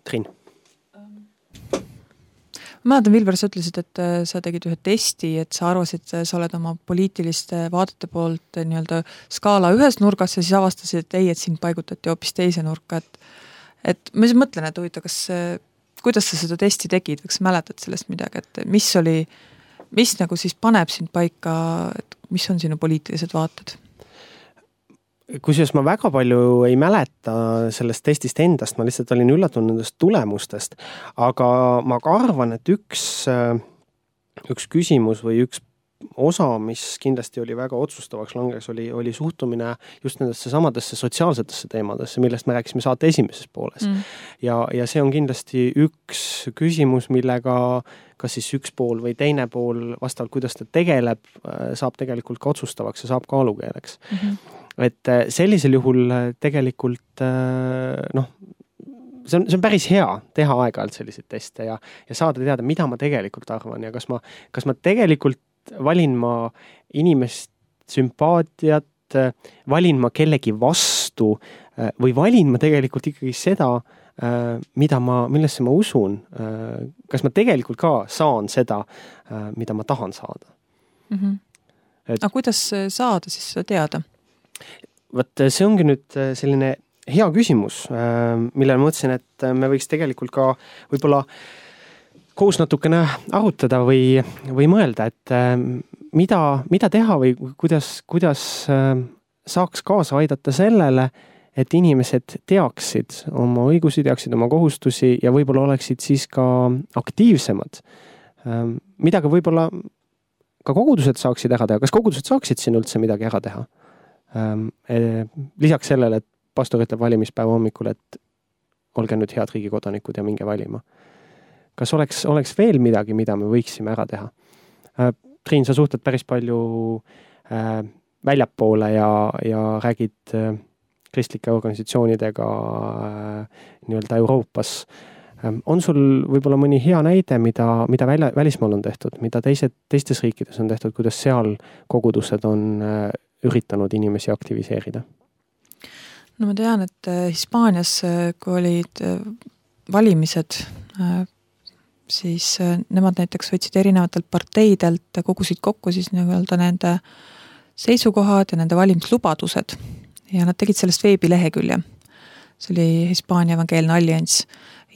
Triin. Ma mäletan, Vilver, sa ütlesid, et sa tegid ühe testi, et sa arvasid, sa oled oma poliitiliste vaadete poolt nii-öelda skaala ühes nurgas ja siis avastasid, et sind paigutati hoopis teise nurka. Et ma siis mõtlen, et huvita, kuidas sa seda testi tegid, kas mäletad sellest midagi, et mis nagu siis paneb sind paika, et mis on sinu poliitilised vaated? Kusjuures ma väga palju ei mäleta sellest testist endast, ma lihtsalt olin üllatunud nendest tulemustest, aga ma ka arvan, et üks küsimus või üks osa, mis kindlasti oli väga otsustavaks langes, oli suhtumine just nendesse samadesse sotsiaalsetesse teemadesse, millest me rääkisime saate esimeses pooles. Ja see on kindlasti üks küsimus, millega kas siis üks pool või teine pool vastavalt, kuidas ta tegeleb, saab tegelikult ka otsustavaks ja saab kaalukeeleks. Et sellisel juhul tegelikult see on päris hea teha aeg-ajalt selliseid teste ja saada teada, mida ma tegelikult arvan ja kas ma tegelikult valin ma inimest sümpaatiat, valin ma kellegi vastu või valin ma tegelikult ikkagi seda, millesse ma usun. Kas ma tegelikult ka saan seda, mida ma tahan saada. Aga kuidas saada siis seda teada? Võt, see ongi nüüd selline hea küsimus, millele mõtlesin, et me võiks tegelikult ka võib-olla koos natukene arutada või mõelda, et mida teha või kuidas saaks kaasa aidata sellele, et inimesed teaksid oma õigusi, teaksid oma kohustusi ja võib-olla oleksid siis ka aktiivsemad. Mida ka võib-olla ka kogudused saaksid ära teha. Kas kogudused saaksid siin üldse midagi ära teha? Lisaks sellele, et pastor ütleb valimispäeva hommikul, et olge nüüd head riigikodanikud ja minge valima. Kas oleks veel midagi, mida me võiksime ära teha? Triin, sa suhtled päris palju väljapoole ja räägid kristlike organisatsioonidega nii-öelda Euroopas. On sul võib-olla mõni hea näide, mida välismaal on tehtud, mida teistes riikides on tehtud, kuidas seal kogudused on üritanud inimesi aktiviseerida? No ma tean, et Hispaanias, kui olid valimised, siis nemad näiteks võtsid erinevatelt parteidelt, kogusid kokku siis nii-öelda nende seisukohad ja nende valimislubadused ja nad tegid sellest veebilehekülje. See oli Hispaania Evangeelne Allianss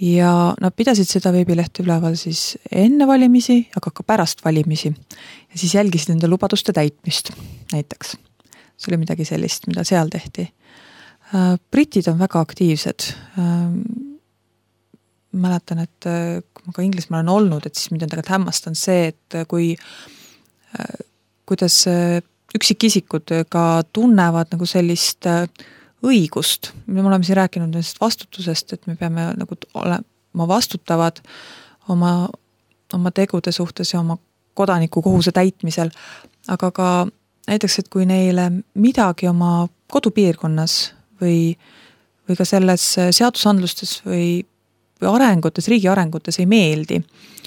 ja nad pidasid seda veebilehte üleval siis enne valimisi, aga ka pärast valimisi ja siis jälgisid nende lubaduste täitmist näiteks. See oli midagi sellist, mida seal tehti. Britid on väga aktiivsed. Mäletan, et kui ma ka Inglismaal olen olnud, et siis mind on tegelikult hämmastan see, et kuidas üksikisikud ka tunnevad nagu sellist õigust. Me oleme siin rääkinud nendest vastutusest, et me peame nagu olema vastutavad oma tegude suhtes ja oma kodaniku kohuse täitmisel, aga ka näiteks, et kui neile midagi oma kodupiirkonnas või ka selles seadusandlustes või arengutes, riigi arengutes ei meeldi,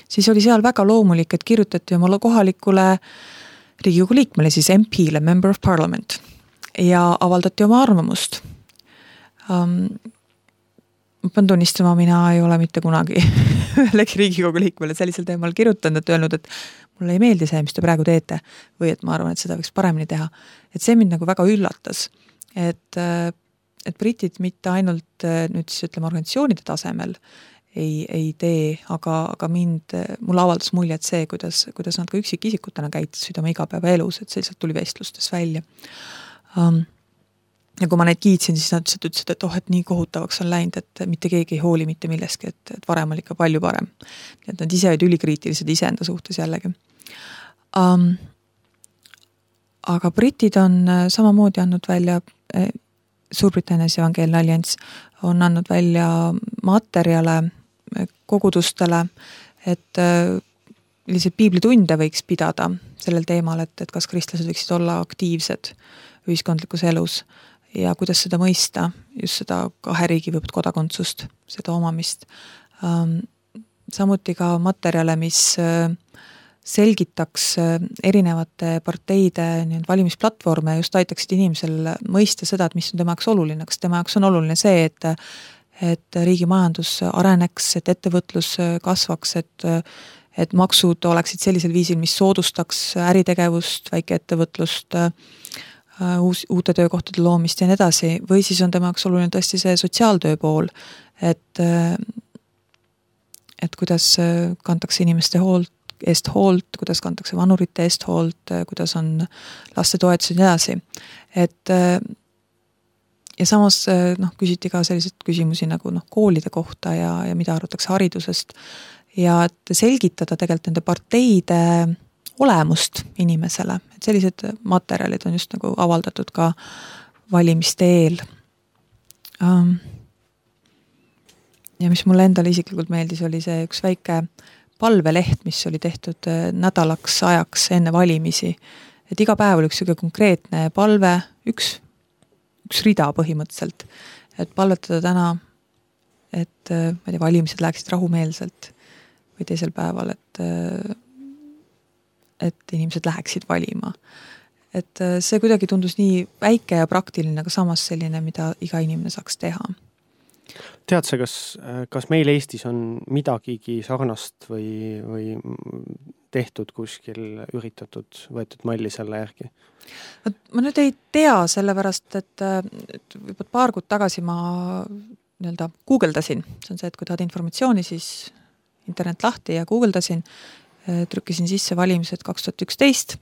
siis oli seal väga loomulik, et kirjutati oma kohalikule Riigikogu liikmele, siis MP-le, Member of Parliament, ja avaldati oma arvamust. Ma pean tunnistama, mina ei ole mitte kunagi ühelegi Riigikogu liikmele sellisel teemal kirjutanud, et öelnud, et mulle ei meeldi see, mis te praegu teete, või et ma arvan, et seda võiks paremini teha. Et see mind nagu väga üllatas, et britid mitte ainult nüüd siis ütleme organisatsioonide tasemel ei tee, aga mulle avaldas mulje, et see, kuidas nad ka üksikisikutena käitusid oma igapäevaelus, et selliselt tuli vestlustes välja. Ja kui ma neid kiitsin, siis nad ütlesid, et et nii kohutavaks on läinud, et mitte keegi ei hooli mitte milleski, et varem oli ikka palju parem. Et nad ise olid ülikriitilised iseenda suhtes jällegi. Aga britid on samamoodi andnud välja, Suurbritannias Evangeelne Allianss on andnud välja materjale kogudustele, et lihtsalt piiblitunde võiks pidada sellel teemal, et kas kristlased võiksid olla aktiivsed ühiskondlikus elus ja kuidas seda mõista, just seda kahe riigi või kodakondsust, seda omamist. Samuti ka materjale, mis selgitaks erinevate parteide valimisplatvorme ja just aitaksid inimesel mõista seda, et mis on tema jaoks oluline. Kas tema jaoks on oluline see, et riigi majandus areneks, et ettevõtlus kasvaks, et maksud oleksid sellisel viisil, mis soodustaks äritegevust, väikeettevõtlust, uute töökohtade loomist ja nii edasi, või siis on tema jaoks oluline tõesti see sotsiaaltöö pool, et kuidas kantakse inimeste eest hoolt, kuidas kantakse vanurite eest hoolt, kuidas on laste toetused ja nii edasi. Ja samas küsiti ka selliseid küsimusi nagu koolide kohta ja mida arvatakse haridusest ja et selgitada tegelikult nende parteide olemust inimesele. Et sellised materjalid on just nagu avaldatud ka valimiste eel. Ja mis mulle endale isiklikult meeldis, oli see üks väike palveleht, mis oli tehtud nädalaks ajaks enne valimisi. Et iga päev oli üks konkreetne palve, üks rida põhimõtteliselt, et palvetada täna, et valimised läheksid rahumeelselt või teisel päeval, et inimesed läheksid valima. Et see kuidagi tundus nii väike ja praktiline, aga samas selline, mida iga inimene saaks teha. Tead sa, kas meil Eestis on midagigi sarnast või tehtud kuskil üritatud, võetud malli selle järgi? Ma nüüd ei tea, sellepärast, et juba paar kuud tagasi ma guugeldasin. See on see, et kui tahad informatsiooni, siis internet lahti ja guugeldasin, trükkisin sisse valimised 2011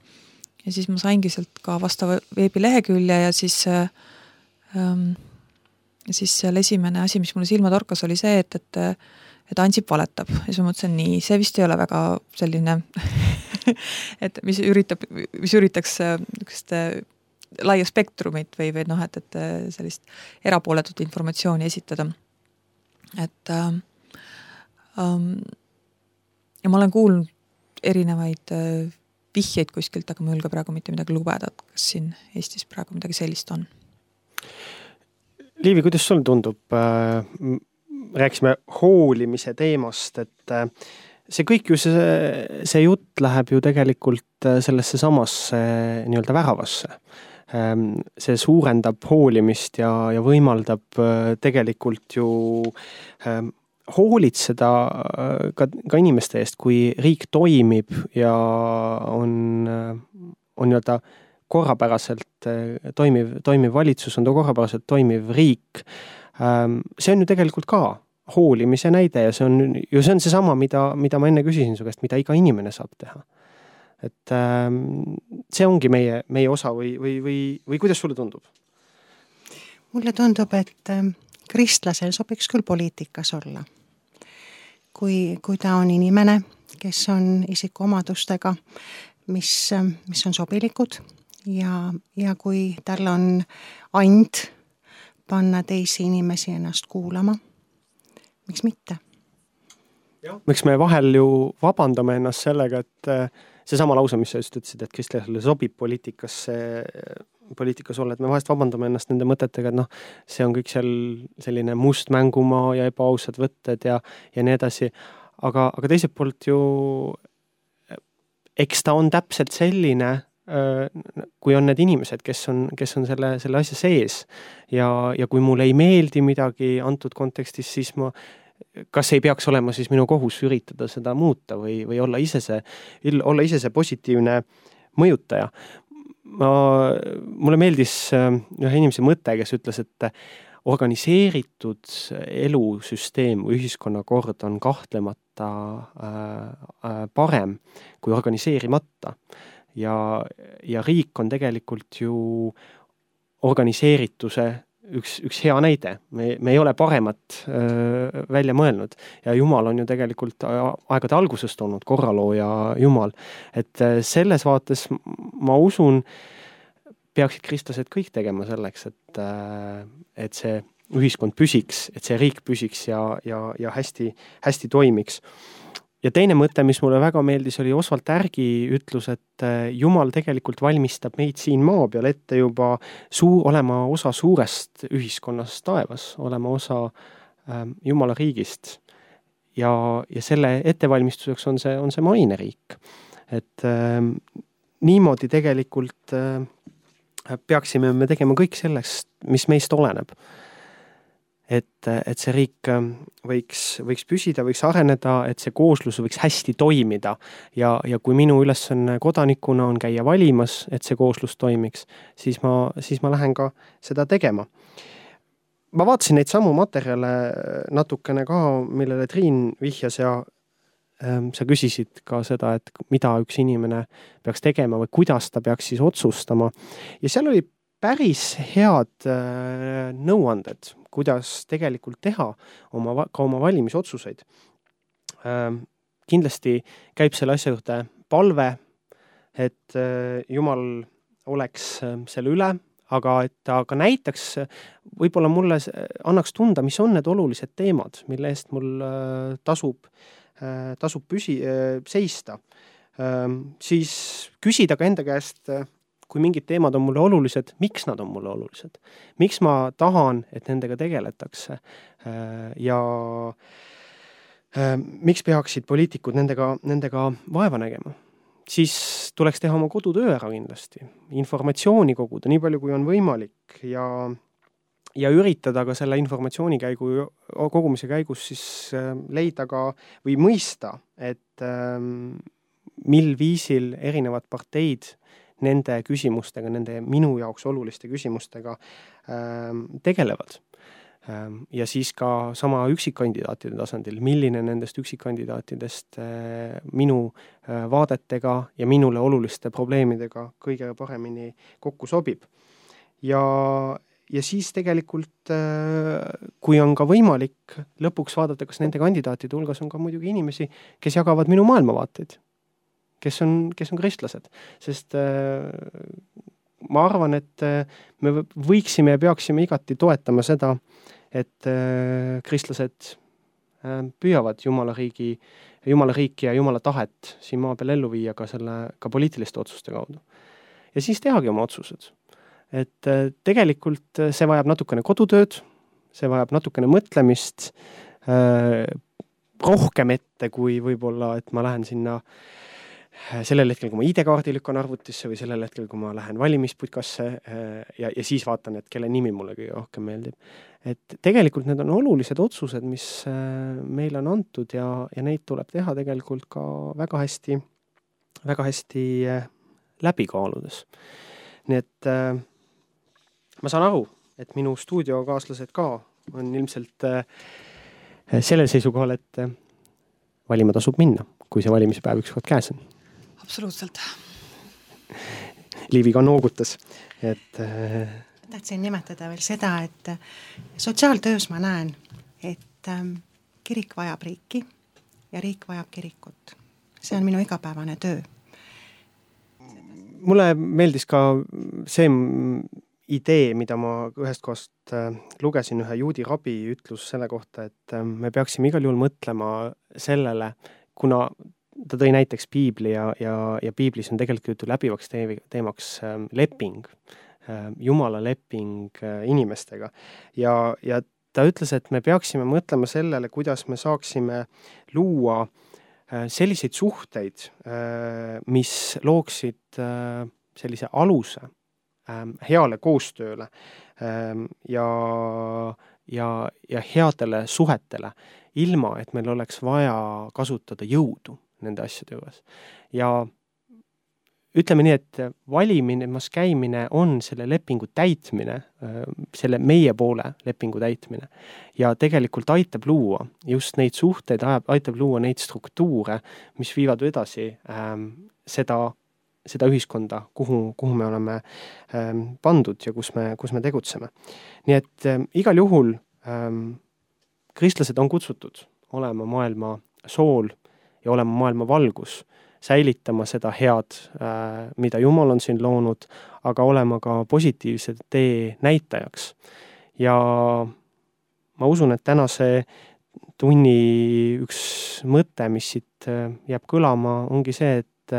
ja siis ma saingi sealt ka vastava veebilehekülje ja siis seal esimene asi, mis mulle silma torkas, oli see, et Ansip valetab. Ja siis ma mõtlesin, nii, see vist ei ole väga selline, et mis üritaks laia spektrumit või et sellist erapooletut informatsiooni esitada. Ja ma olen kuulnud erinevaid vihjeid kuskilt, aga ma ei julge praegu mitte midagi lubeda, kas siin Eestis praegu midagi sellist on. Liivi, kuidas sul tundub? Rääkisime hoolimise teemast, et see kõik ju see jutt läheb ju tegelikult sellesse samasse nii-öelda väravasse. see suurendab hoolimist ja võimaldab tegelikult ju hoolitseda ka inimeste eest, kui riik toimib ja on nii-öelda korrapäraselt toimiv valitsus, on ta korrapäraselt toimiv riik. See on ju tegelikult ka hoolimise näide ja see on seesama, mida ma enne küsisin su käest, mida iga inimene saab teha. Et see ongi meie osa või kuidas sulle tundub? Mulle tundub, et kristlasel sobiks küll poliitikas olla. Kui ta on inimene, kes on isikuomadustega, mis on sobilikud ja kui tal on and panna teisi inimesi ennast kuulama, miks mitte? Miks me vahel ju vabandame ennast sellega, et seesama lause, mis sa just ütlesid, et kristlasele sobib poliitikas olla, et me vahest vabandame ennast nende mõtetega, et see on kõik seal selline must mängumaa ja ebaausad võtted ja nii edasi. Aga teiselt poolt ju, eks ta on täpselt selline, kui on need inimesed, kes on selle asja sees ja kui mulle ei meeldi midagi antud kontekstis, siis kas ei peaks olema siis minu kohus üritada seda muuta või olla ise see positiivne mõjutaja. Mulle meeldis ühe inimese mõte, kes ütles, et organiseeritud elusüsteem või ühiskonnakord on kahtlemata parem kui organiseerimata ja riik on tegelikult ju organiseerituse üks hea näide. Me ei ole paremat välja mõelnud ja Jumal on ju tegelikult aegade algusest olnud korralooja Jumal. Et selles vaates ma usun, peaksid kristlased kõik tegema selleks, et see ühiskond püsiks, et see riik püsiks ja hästi toimiks. Ja teine mõte, mis mulle väga meeldis, oli Oswald Tärgi ütlus, et Jumal tegelikult valmistab meid siin maa peal ette juba olema osa suurest ühiskonnast taevas, olema osa Jumala riigist. Ja selle ettevalmistuseks on see maineriik. Et niimoodi tegelikult peaksime me tegema kõik selleks, mis meist oleneb. Et see riik võiks püsida, võiks areneda, et see kooslus võiks hästi toimida ja kui minu ülesanne kodanikuna on käia valimas, et see kooslus toimiks, siis ma lähen ka seda tegema. Ma vaatasin neid samu materjale natukene ka, millele Triin vihjas ja sa küsisid ka seda, et mida üks inimene peaks tegema või kuidas ta peaks siis otsustama. Ja seal oli päris head nõuanded, kuidas tegelikult teha ka oma valimisotsuseid. Kindlasti käib selle asja juurde palve, et Jumal oleks selle üle, aga et ta ka näitaks, võib-olla mulle annaks tunda, mis on need olulised teemad, mille eest mul tasub seista. Siis küsida ka enda käest, kui mingid teemad on mulle olulised, miks nad on mulle olulised? Miks ma tahan, et nendega tegeletakse? Ja miks peaksid poliitikud nendega vaeva nägema? Siis tuleks teha oma kodutöö ära kindlasti. Informatsiooni koguda nii palju, kui on võimalik ja üritada ka selle informatsiooni kogumise käigus siis leida ka või mõista, et mil viisil erinevad parteid nende küsimustega, nende minu jaoks oluliste küsimustega tegelevad. Ja siis ka sama üksikkandidaatide tasandil, milline nendest üksikkandidaatidest minu vaadetega ja minule oluliste probleemidega kõige paremini kokku sobib. Ja siis tegelikult, kui on ka võimalik lõpuks vaadata, kas nende kandidaatide hulgas on ka muidugi inimesi, kes jagavad minu maailmavaateid, kes on kristlased. Sest ma arvan, et me võiksime ja peaksime igati toetama seda, et kristlased püüavad Jumala riiki ja Jumala tahet siin maa peal ellu viia ka poliitiliste otsuste kaudu. Ja siis tehagi oma otsused. Et tegelikult see vajab natukene kodutööd, see vajab natukene mõtlemist, rohkem ette kui võib-olla, et ma lähen sinna sellel hetkel, kui ma ID-kaardi lükkan arvutisse või sellel hetkel, kui ma lähen valimisputkasse ja siis vaatan, et kelle nimi mulle kõige rohkem meeldib. Et tegelikult need on olulised otsused, mis meile on antud ja neid tuleb teha tegelikult ka väga hästi läbi kaaludes. Nii et ma saan aru, et minu stuudiokaaslased ka on ilmselt sellel seisukohal, et valima tasub minna, kui see valimispäev ükskord käes on. Absoluutselt. Liivi ka noogutas. Tahtsin nimetada veel seda, et sotsiaaltöös ma näen, et kirik vajab riiki ja riik vajab kirikut. See on minu igapäevane töö. Mulle meeldis ka see idee, mida ma ühest kohast lugesin, ühe juudi rabi ütlus selle kohta, et me peaksime igal juhul mõtlema sellele, kuna ta tõi näiteks piibli ja piiblis on tegelikult läbivaks teemaks leping, Jumala leping inimestega. Ja ta ütles, et me peaksime mõtlema sellele, kuidas me saaksime luua selliseid suhteid, mis looksid sellise aluse heale koostööle ja headele suhetele, ilma et meil oleks vaja kasutada jõudu nende asjade juures. Ja ütleme nii, et valimas käimine on selle lepingu täitmine, selle meie poole lepingu täitmine ja tegelikult aitab luua just neid suhteid, aitab luua neid struktuure, mis viivad edasi seda ühiskonda, kuhu me oleme pandud ja kus me tegutseme. Nii et igal juhul kristlased on kutsutud olema maailma sool ja olema maailma valgus, säilitama seda head, mida Jumal on siin loonud, aga olema ka positiivse tee näitajaks. Ja ma usun, et tänase tunni üks mõte, mis siit jääb kõlama, ongi see, et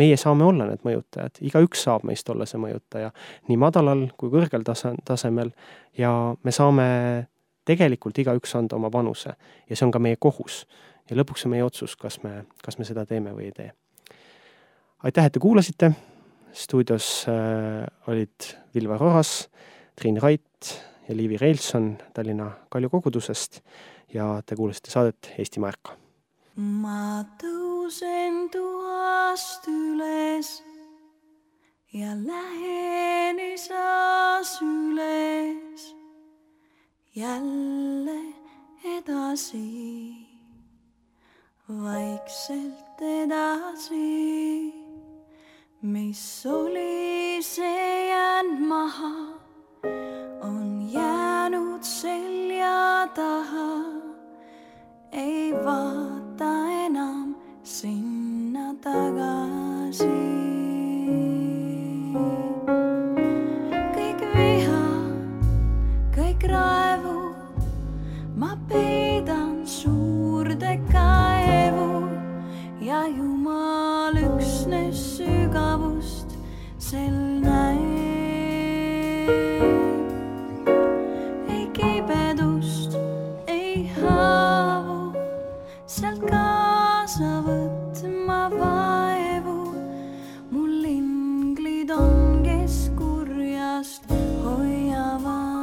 meie saame olla need mõjutajad. Igaüks saab meist olla see mõjutaja nii madalal kui kõrgel tasemel ja me saame tegelikult igaüks anda oma panuse ja see on ka meie kohus. Ja lõpuks on meie otsus, kas me seda teeme või ei tee. Aitäh, et te kuulasite. Stuudios olid Vilver Oras, Triin Rait ja Liivi Reilson Tallinna Kalju kogudusest ja te kuulasite saadet Eestimaa ärka. Ma tõusen tuast üles ja lähen isas üles jälle edasi. Vaikselt edasi, mis oli see jäänud maha, on jäänud selja taha, ei vaata enam sinna tagasi. Kõik viha, kõik raevu, ma peidan suurde kaevu ja Jumal üksnes sügavust sel näeb. Ei kibedust, ei haavu, sealt kaasa võtma vaevu. Mul inglid on, kes kurjast hoiavad.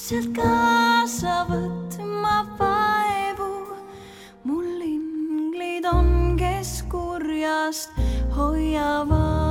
sealt kaasa võtma vaevu. Mul inglid on, kes kurjast hoiavad.